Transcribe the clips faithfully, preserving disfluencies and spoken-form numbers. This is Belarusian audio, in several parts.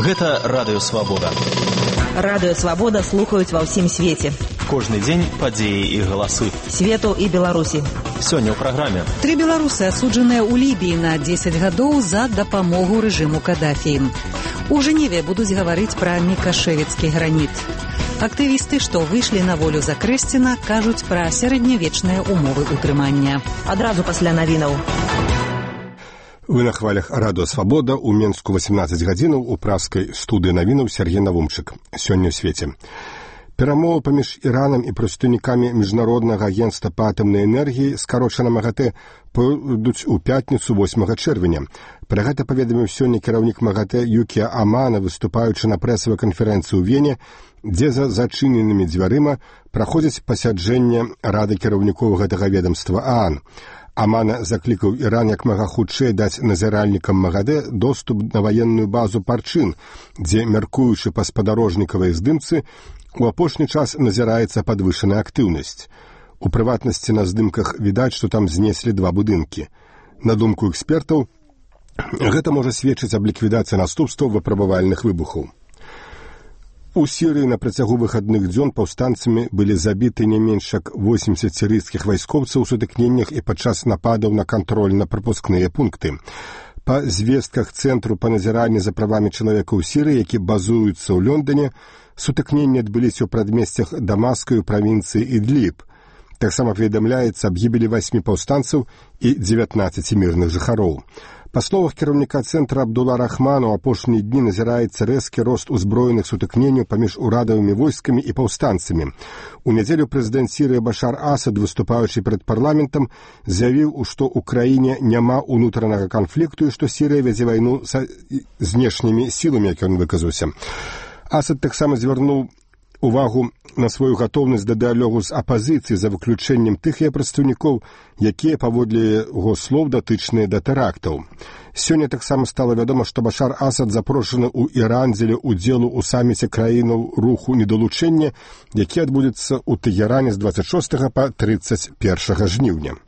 Гэта Радыё Свабода. Радыё Свабода слухаюць ва ўсім свеце. Кожны дзень падзеі і галасы. Свету і Беларусі. Сёння ў праграме. Тры беларусы асуджаныя ў Лібіі на дзесяць гадоў за дапамогу рэжыму Кадафі. У Жэневе будуць гаварыць пра мікашэвіцкі граніт. Актывісты, што выйшлі на волю за Крэсціна, кажуць пра сярэднявечныя умовы ўтрымання. Адразу пасля навінаў. Вы на хвалях Радыё Свабода, у Менску восемнадцать гадзінаў, у пражскай студыі навінаў Сергей Навумчык. Сёння ў свеце. Перамовы паміж Іранам і прадстаўнікамі Міжнароднага агенцтва па атамнай энергіі, скарочана МАГАТЭ, пойдуць у пятніцу восьмага чэрвеня. Пра гэта паведаміў сёння кіраўнік МАГАТЭ Юкія Амана, выступаючы на прэсавай канферэнцыі ў Вене, дзе за зачыненымі дзвярыма праходзіць пасяджэнне Рады кіраўнікоў гэтага ведамства ААН. Амана заклікаў Іран як мага хутчэй даць назіральнікам МАГАТЭ доступ на ваенную базу Парчин, дзе, мяркуючы па спадарожнікавай здымцы, у апошні час назіраецца падвышаная актыўнасць. У прыватнасці на здымках відаць, што там знеслі два будынкі. На думку экспертаў, гэта можа сведчыць аб ліквідацыі наступстваў выпрабавальных выбухаў. У Сірыі на працягу выхадных дзён паўстанцамі былі забіты не менш як восемьдесят сірыйскіх вайскоўцаў у сутыкненнях і падчас нападаў на кантрольна-прапускныя пункты. Па звестках Цэнтру па назіранні за правамі чалавека ў Сірыі, які базуюцца ў Лондоне, сутыкненні адбыліся ў прадмесцях Дамаска і ў правінцыі Ідліб. Таксама паведамляецца аб гібелі васьмі паўстанцаў і дзевятнаццаці мірных жыхароў. Па словах кіраўніка цэнтра Абдула Рахмана, у апошнія дні назіраецца рэзкі рост узброеных сутыкненняў паміж урадавымі войскамі і паўстанцамі. У нядзелю прэзідэнт Сірыі Башар Асад, выступаючы перад парламентам, заявіў, што ў краіне няма ўнутранага канфлікту і што Сірыя вядзе вайну са знешнімі сіламі, як ён выказаўся. Асад таксама звярнуў увагу на сваю гатоўнасць да дыялогу з апазіцыяй за выключэннем тых яе прадстаўнікоў, якія, паводле яго слоў, датычныя да тэрактаў. Сёння таксама стала вядома, што Башар Асад запрошаны ў Іран дзеля ўдзелу ў саміце краінаў руху недалучэння, які адбудзецца ў Тэгеране з дваццаць шостага па трыццаць першага жніўня.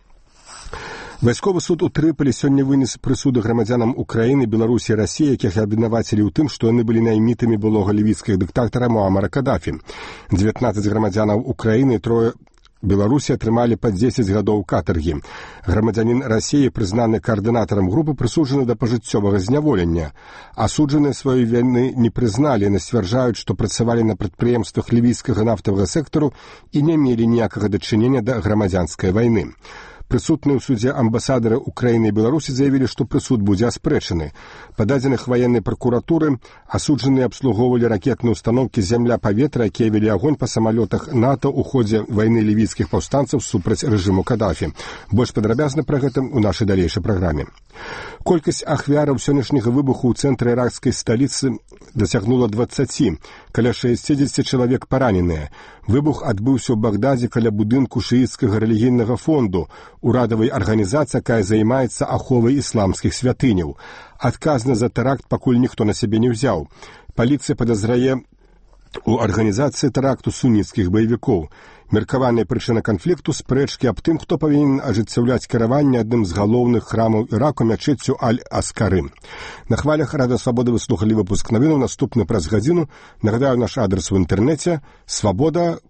Вайсковы суд у Трыполі сёння вынес прысуды грамадзянам Украіны, Беларусі і Расіі, якіх абвінавацілі ў тым, што яны былі наймітамі былога лівійскага дыктатара Муамара Кадафі. дзевятнаццаць грамадзянаў Украіны і трое Беларусі атрымалі па дзесяць гадоў катаргі. Грамадзянін Расіі, прызнаны каардынатарам групы, прысуджаны да пажыццёвага зняволення. Асуджаныя сваёй віны не прызналі, яны сцвярджаюць, што працавалі на прадпрыемствах лівійскага нафтавага сектару і не мелі ніякага дачынення да грамадзянскай вайны. Прысутныя ў судзе амбасадары Украіны і Беларусі заявілі, што прысуд будзе аспрэчаны. Па дадзеных ваеннай пракуратуры асуджаныя абслугоўвалі ракетныя ўстаноўкі зямля-паветра, якія вялі агонь па самалётах НАТО ў ходзе вайны лівійскіх паўстанцаў супраць рэжыму Кадафі. Больш падрабязна пра гэта ў нашай далейшай праграме. Колькасць ахвяраў сённяшняга выбуху ў цэнтры іракскай сталіцы дасягнула дваццаці, каля шэсцідзесяці чалавек параненыя. Выбух адбыўся ў Багдадзе каля будынку шыіцкага рэлігійнага фонду, урадавай арганізацыі, якая займаецца аховай ісламскіх святыняў. Адказны за тэракт пакуль ніхто на сябе не ўзяў. Паліцыя падазрае у арганізацыі тэракту суніцкіх баевікоў. Меркаваная прычына канфлікту — спрэчкі аб тым, хто павінен ажыццяўляць кіраванне адным з галоўных храмаў Іраку, мячэццю Аль-Аскары. На хвалях Радыё Свабода вы слухалі выпуск навінаў, наступны праз гадзіну. Нагадаю, наш адрес у інтэрнэце — свабода